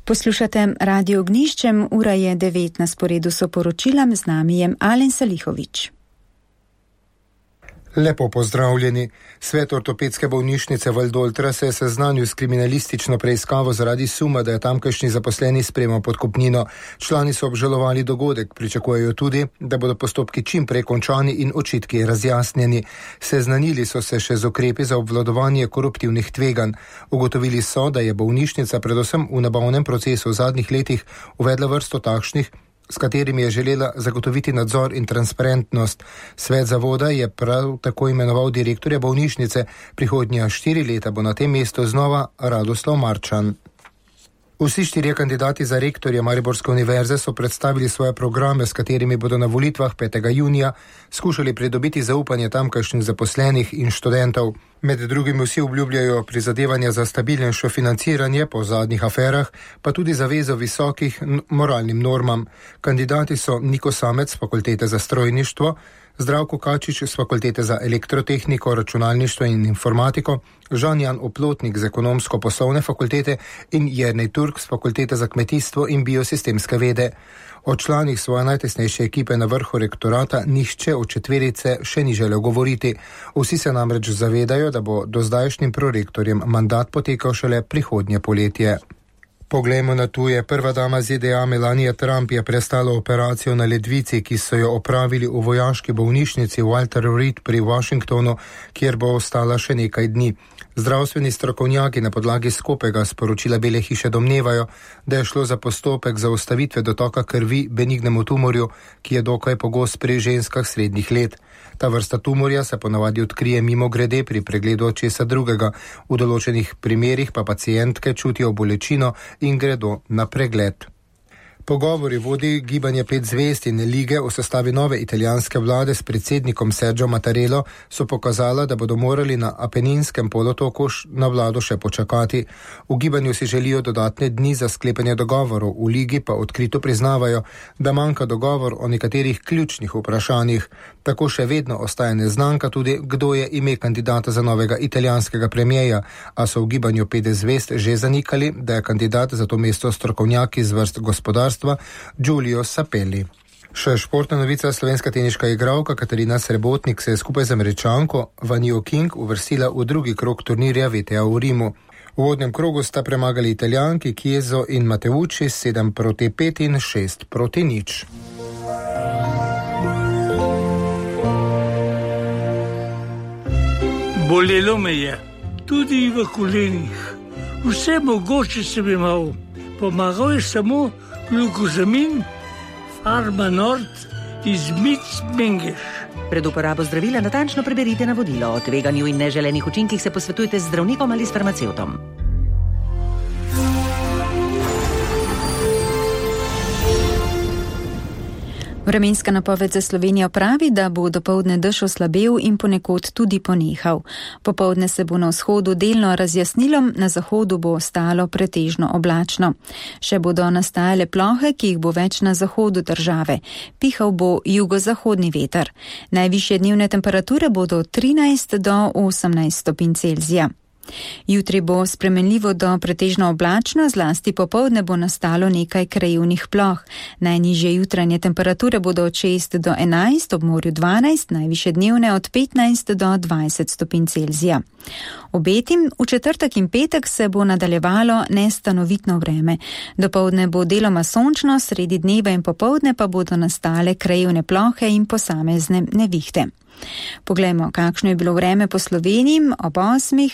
Poslušate Radio Ognjiščem, ura je 9, na sporedu so poročila, z nami je Alen Salihovič. Lepo pozdravljeni. Svet ortopedske bolnišnice Valdoltra se je seznanil s kriminalistično preiskavo zaradi suma, da je tamkajšnji zaposleni sprejemal podkupnino. Člani so obžalovali dogodek, pričakujejo tudi, da bodo postopki čim prej končani in očitki razjasnjeni. Seznanili so se še z ukrepi za obvladovanje koruptivnih tveganj. Ugotovili so, da je bolnišnica predvsem v nabavnem procesu v zadnjih letih uvedla vrsto takšnih, s katerimi je želela zagotoviti nadzor in transparentnost. Svet zavoda je prav tako imenoval direktorja bolnišnice. Prihodnja 4 leta bo na tem mestu znova Radoslav Marčan. Vsi 4 kandidati za rektorja Mariborske univerze so predstavili svoje programe, s katerimi bodo na volitvah 5. junija skušali pridobiti zaupanje tamkajšnjih zaposlenih in študentov. Med drugim vsi obljubljajo prizadevanja za stabilnejše financiranje po zadnjih aferah, pa tudi zavezo visokih moralnim normam. Kandidati so Niko Samec z Fakultete za strojništvo, Zdravko Kačič z Fakultete za elektrotehniko, računalništvo in informatiko, Žan-Jan Oplotnik z ekonomsko-poslovne fakultete in Jernej Turk z Fakultete za kmetijstvo in biosistemske vede. O članih svoje najtesnejše ekipe na vrhu rektorata nihče od četverice še ni želel govoriti. Vsi se namreč zavedajo, da bo do zdajšnjim prorektorjem mandat potekal šele prihodnje poletje. Poglejmo na tuje. Prva dama ZDA Melania Trump je prestala operacijo na ledvici, ki so jo opravili v vojaški bolnišnici Walter Reed pri Washingtonu, kjer bo ostala še nekaj dni. Zdravstveni strokovnjaki na podlagi skopega sporočila Bele hiše domnevajo, da je šlo za postopek zaustavitve dotoka krvi benignemu tumorju, ki je dokaj pogost pri ženskah srednjih let. Ta vrsta tumorja se ponavadi odkrije mimogrede pri pregledu česa drugega. V določenih primerih pa pacientke čutijo bolečino in gredo na pregled. Pogovori vodi gibanje 5 zvezd in lige o sestavi nove italijanske vlade s predsednikom Sergio Mattarello so pokazala, da bodo morali na Apeninskem polotoku na vlado še počakati. V gibanju si želijo dodatne dni za sklepanje dogovorov, v ligi pa odkrito priznavajo, da manjka dogovor o nekaterih ključnih vprašanjih. Tako še vedno ostaja neznanka tudi, kdo je ime kandidata za novega italijanskega premijeja, a so v gibanju 5 zvezd že zanikali, da je kandidat za to mesto strokovnjak iz vrst gospodarstva Giulio Sapelli. Še športna novica. Slovenska teniška igralka Katarina Srebotnik se je skupaj z Američanko Vanjo King uvrstila v drugi krog turnirja WTA v Rimu. V uvodnem krogu sta premagali Italijanki Chiesa in Mateucci 7-5 in 6-0. Bolelo me je, tudi v kolenih. Vse mogoče sem imel. Pomagal je samo glukozamin, Pharma Nord iz Mengeš. Pred uporabo zdravila natančno preberite navodilo. O tveganju in neželenih učinkih se posvetujte z zdravnikom ali s farmacevtom. Vremenska napoved za Slovenijo pravi, da bo dopoldne dež oslabel in ponekod tudi ponehal. Popoldne se bo na vzhodu delno razjasnilo, na zahodu bo ostalo pretežno oblačno. Še bodo nastajale plohe, ki jih bo več na zahodu države. Pihal bo jugozahodni veter. Najvišje dnevne temperature bodo od 13 do 18 stopinj Celzija. Jutri bo spremenljivo do pretežno oblačno, zlasti popoldne bo nastalo nekaj krajevnih ploh. Najnižje jutranje temperature bodo od 6 do 11, ob morju 12, najvišje dnevne od 15 do 20 stopinj Celzija. Obetim, v četrtek in petek se bo nadaljevalo nestanovitno vreme. Dopoldne bo deloma sončno, sredi dneva in popoldne pa bodo nastale krajevne plohe in posamezne nevihte. Poglejmo, kakšno je bilo vreme po Sloveniji ob 8.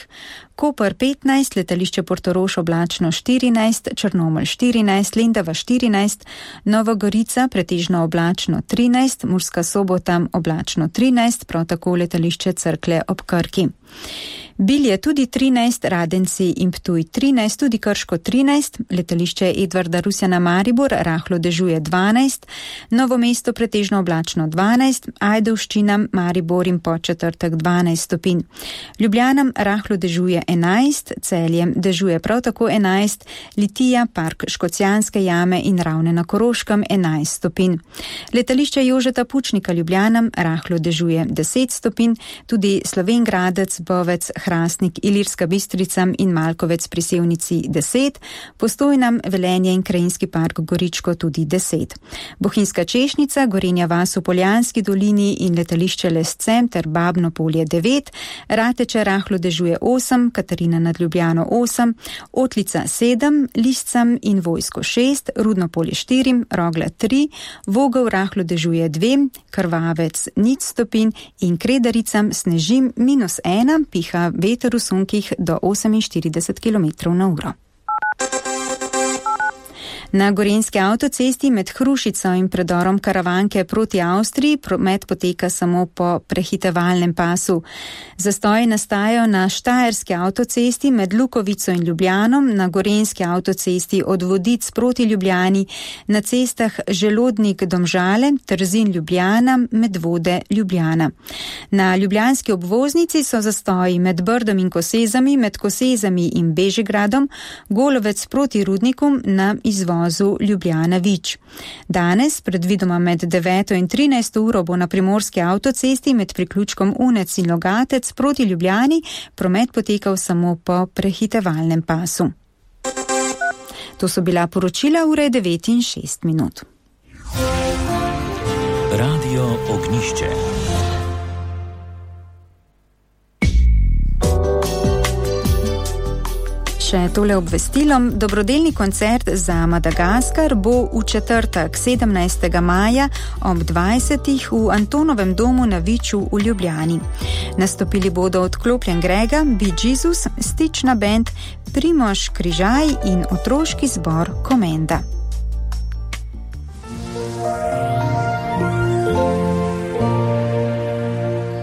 Koper 15, letališče Portorož oblačno 14, Črnomelj 14, Lendava 14, Nova Gorica pretežno oblačno 13, Murska Sobota oblačno 13, prav tako letališče Cerklje ob Krki. Bilje tudi 13, Radenci in Ptuj 13, tudi Krško 13, letališče Edvarda Rusjana Maribor rahlo dežuje 12, Novo mesto pretežno oblačno 12, Ajdovščina, Maribor in Podčetrtek 12 stopinj. Ljubljana rahlo dežuje 11, Celje dežuje prav tako 11, Litija, Park Škocjanske jame in Ravne na Koroškem 11 stopinj. Letališče Jožeta Pučnika Ljubljana rahlo dežuje 10 stopinj, tudi Slovenj Gradec, Bovec, Hrastnik, Ilirska Bistrica in Malkovec pri Sevnici 10, Postojna, Velenje in Krajinski park Goričko tudi 10. Bohinjska Češnjica, Gorenja vas v Poljanski dolini in letališče Lesce ter Babno Polje 9, Rateče rahlo dežuje 8, Katarina nad Ljubljano 8, Otlica 7, Lisca in Vojsko 6, Rudno Polje 4, Rogla 3, Vogel rahlo dežuje 2, Krvavec 0 stopinj in Kredaricam snežim -1, piha veter v sunkih do 48 km/h. Na Gorenjski avtocesti med Hrušico in predorom Karavanke proti Avstriji promet poteka samo po prehitevalnem pasu. Zastoji nastajajo na Štajerski avtocesti med Lukovico in Ljubljanom, na Gorenjski avtocesti od Vodic proti Ljubljani, na cestah Želodnik Domžale, Trzin Ljubljana, Medvode Ljubljana. Na ljubljanski obvoznici so zastoji med Brdom in Kosezami, med Kosezami in Bežigradom, Golovec proti Rudniku na izvozu Ljubljana-Vič. Danes, predvidoma med 9. in 13. uro, bo na primorski avtocesti med priključkom Unec in Logatec proti Ljubljani promet potekal samo po prehitevalnem pasu. To so bila poročila ure 9 in 6 minut. Radio Ognjišče. Še tole obvestilom, dobrodelni koncert za Madagaskar bo v četrtek 17. maja ob 20. v Antonovem domu na Viču v Ljubljani. Nastopili bodo Odklopljen Grega, Be Jesus, Stična band, Primož Križaj in otroški zbor Komenda.